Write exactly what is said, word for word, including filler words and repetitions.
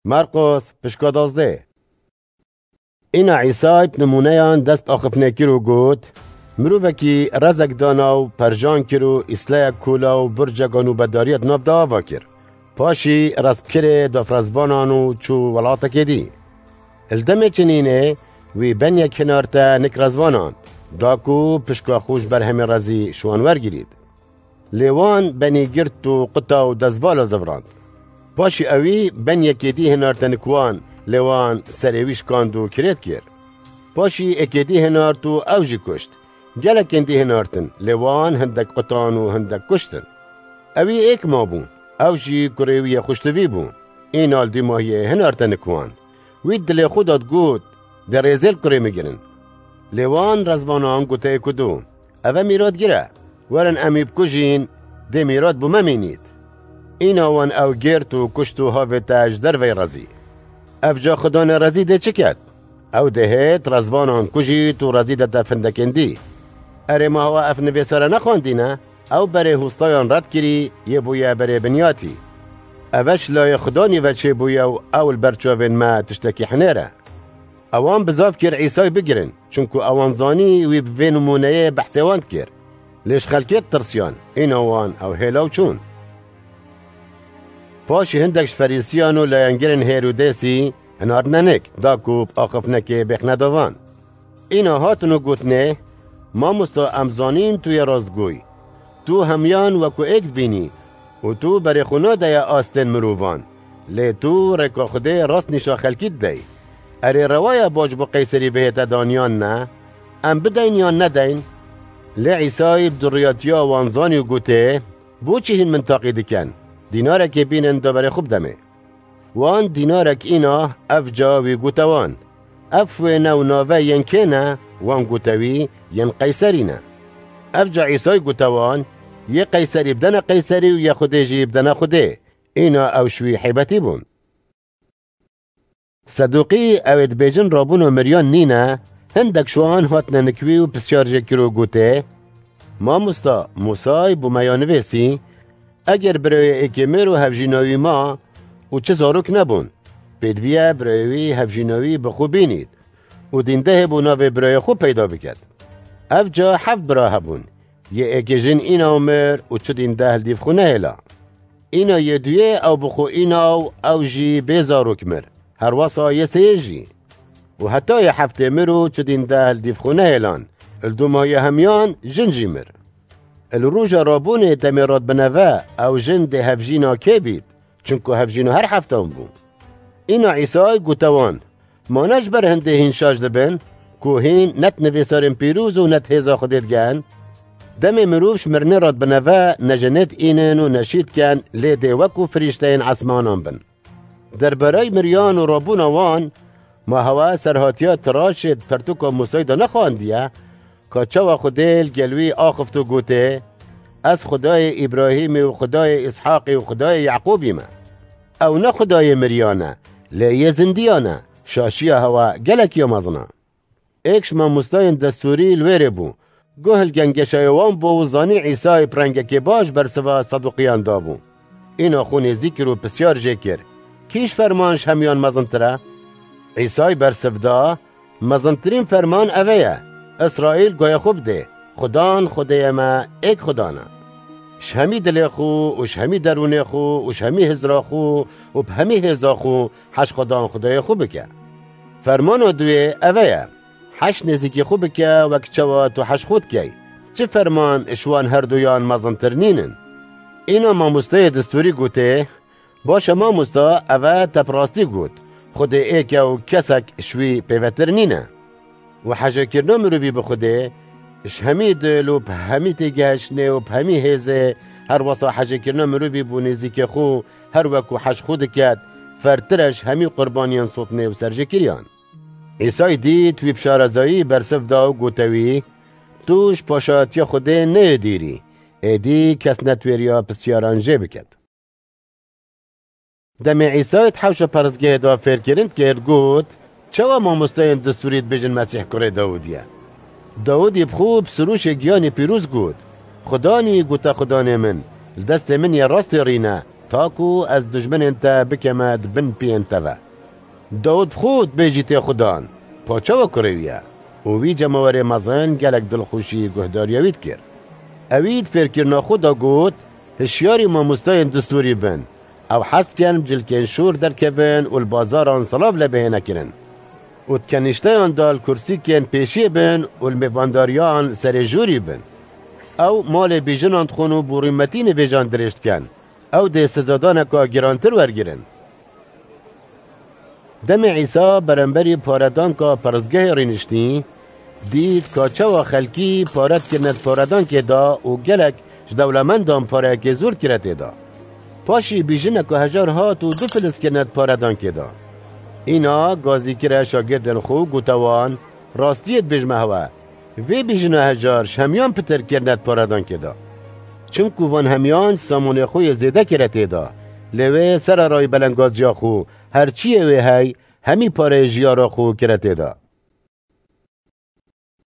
Marqos, pişka dazdeh. Îna Îsay bi nimûneyan dest axiftinê kir û got, Mirovekî rezek dana û perjan kir û îsleyek kola û burcek a nûbedariyê di nav de ava kir. Paşî rest bi kirê da bi rezvanan û çû welatekê dî. Li demê çinînê wî benyek hinarte nik rezvanan, da ku pişka xwe ji ber hemî rezî ji wan wergirît. Lê wan benî girt û quta û destvala zivirand. Paşî ewî benyekê dî hinarte nik wan, lê wan serê wî şikand û kirêt kir. Paşî êkê dî hinart û ew jî kuşt. Gelekên dî hinartin, lê wan hindek qutan û hindek kuştin. Ewî êk mabû, ew jî kurê wî yê xweştivî bû. Îna li dîmahiyê hinarte nik wan. Wî dilê xwe da digot, Dê rêzê li kurê min girin. Lê wan rezvanan gote êk û du, Ev e mîratgir e. Werin em wî bikujîn, dê mîrat bo me mînît. Îna wan ew girt û kuşt û havête ji derveyî rezî. Ev ca xudanê rezî dê çi ket? Ew dê hêt rezvanan kujît û rezî dete findekên dî. Erê, ma hewa ev nivêsare nexwendîne? Ew berê hûstayan red kirî, yê bûye berê binyatî. Ev e ji layê xudanî ve çêbûye û ew li ber çavên me tiştekî hinêr e. Ewan bizav kir Îsay bigirin, çunku ewan zanî wî bi vê nimûneyê behsê wan dikir. Lê ji xelkê ditirsiyan, îna wan ew hêla û çûn. Paşî hindek ji Ferîsiyan û layengirên Hêrodêsî hinartine nik, da ku bi axiftinekê bêxine davan. Îna hatin û gotinê, Mamosta, em zanîn tu yê rastgoy. Tu hemiyan wekû êk dibînî û tu berê xwe nadeye astên mirovan. Lê tu rêka Xwedê rast nîşa xelkî didey. Erê, rewa ye baş bo Qeyserî bihête dan yan ne? Em bideyn yan nedeyn? Lê Îsay bi duriyatiya wan zanî û gotê, Bo çi hîn min taqî dikin? Dînarekê bînin da berê xwe bidemê. Wan dînarek îna, ev ca wî gote wan, Ev wêne û nave yên kê ne? Wan gote wî, Yên Qeyserî ne. Ev ca Îsay gote wan, Yê Qeyserî bidene Qeyserî û yê Xwedê jî bidene Xwedê. Îna ew ji wî heybetî bûn. Sedûqî, ew ê dibêjin rabûna miriyan nîne, hindek ji wan hatine nik wî û pisyar jê kir û gotê, Mamosta, Mûsay bo me ya nivêsî, Eger birayê êkê mir û hevjîna wî ma û çi zarok nebûn, pêdiviye birayê wî hevjîna wî bi xwe bînît û dîndehê bo navê birayê xwe peyda biket. Ev ca heft bira hebûn. Yê êkê jin îna mir û çi dîndeh li dîv xwe nehêla. Îna yê duyê ew bi xwe îna û ew jî bê zarok mir. Herwesa yê sêyê jî. Û heta yê heftê mir û çi dîndeh li dîv xwe nehêlan. Li dûma yê hemiyan jin jî mir. Li roja rabûnê demê rat bi neve ew jin dê hevjîna kê bît? Çunku hevjîna her heftan bû. Îna Îsay gote wan, Ma ne ji ber hindê hîn şaş dibin, ku hîn ne di nivîsarên pîroz û ne di hêza Xwedê digehin? Demê mirov ji mirinê re dibineve, ne jinê diînin û ne şî dikin, lê dê wekû firîşteyên esmanan bin. Derbareyî miriyan û rabûna wan, ma hewa serhatiya tiraşê di pertûka Mûsayî de nexwandiye, ka çawa Xwedê li gel wî axift û gotê, Ez Xwedayê Îbrahîmê û Xwedayê Îshaqê û Xwedayê Yaqûbî me. Ew ne Xwedayê miriyan e, lê yê zindiyan e, şaşiya hewa gelek ya mezin e. Êk ji mamostayên destûrî li wêrê bû. Guh li gengeşayê wan bû û zanî Îsayê bi rengekê baş bersiva Saduqiyan dabû. Îna xwe nêzîk kir û pisyar jê kir, Kî ji ferman ji hemiyan mezintir e? Îsay bersiv da, Mezintirîn ferman ev e ye, Îsraîl guhê xwe bidê, Xudan Xwedêyê me êk Xudan e. Ji hemî dilê xwe û ji hemî derûnê xwe û ji hemî hizra xwe û bi hemî hêza xwe heş Xudan Xwedêyê xwe bike. Fermana duyê ev e ye, Heş nêzîkî xwe bike wek çawa tu heş xwe dikey. Çi ferman ji wan herduyan mezintir nînin? Îna mamosteyê destûrî gotê, Baş e mamosta, ev e te bi rastî got. Xwedê êk e û kesek ji wî pêvetir nîne. Û hejêkirina mirovî bi Xwedê, ji hemî dil û bi hemî têgihiştinê û bi hemî hêzê, her wesa hejêkirina mirovî bo nêzîkê xwe, her wekû heş xwe diket, fertir e ji hemî qurbaniyên sotinê û serjêkiriyan. Îsay dît wî bi şarezayî bersiv da û gote wî, Tu ji paşayetiya Xwedê neyê dîrî, êdî kes netwêriya pisyaran jê biket. Demê Îsayê di hewşa perestgehê de fêrkirin dikir, got, Çawa mamosteyên destûrî dibêjin Mesîh kurê Dawidî ye? Dawidî bi xwe bi sirûşê giyanî pîroz got, Xudanî gote Xudanê min, li destê min yê rastê rîne, ta ku ez dijminên te bikeme di bin piyên te ve. Dawid bi xwe dibêjî tê Xudan, paçawa kurê wî ye. Û wî cemawerê mezin gelek dilxweşî guhdariya wî dikir. Ewî di fêrkirina xwe de got, hişyarî mamostayên distûrî bin. Ew hez dikin bi cilkên şûr derkevin û li bazaran silav lê bihêne kirin. Û di kenîşteyan de li kursîkên pêşiyê bin û li mêvandariyan serê jûrî bin. Ew malê bîjinan dixwin û borî metînê vêjan dirêj dikin. Ew dê sezadaneka girantir wergirin. Demê Îsa beramberî paredanka peristgehê rîniştî, dît ka çawa xelkî pare dikirine di paredankê de û gelek ji dewlemendan pareyekê zûr dikire tê de. Paşî bîjineka hejar hat û du filiz kirine di paredankê de. Îna gazî kire şagirdên xwe û gote wan, rastiyê dibêjime hewe, vê bîjina hejar ji hemiyan pitir kirine di paredankê de. Çimku van hemiyan samonê xwe yê zêde kire tê de. Lê wê sererayî belengaziya xwe, her çiyê wê hey, hemî pareyê jiyara xwe kire tê de.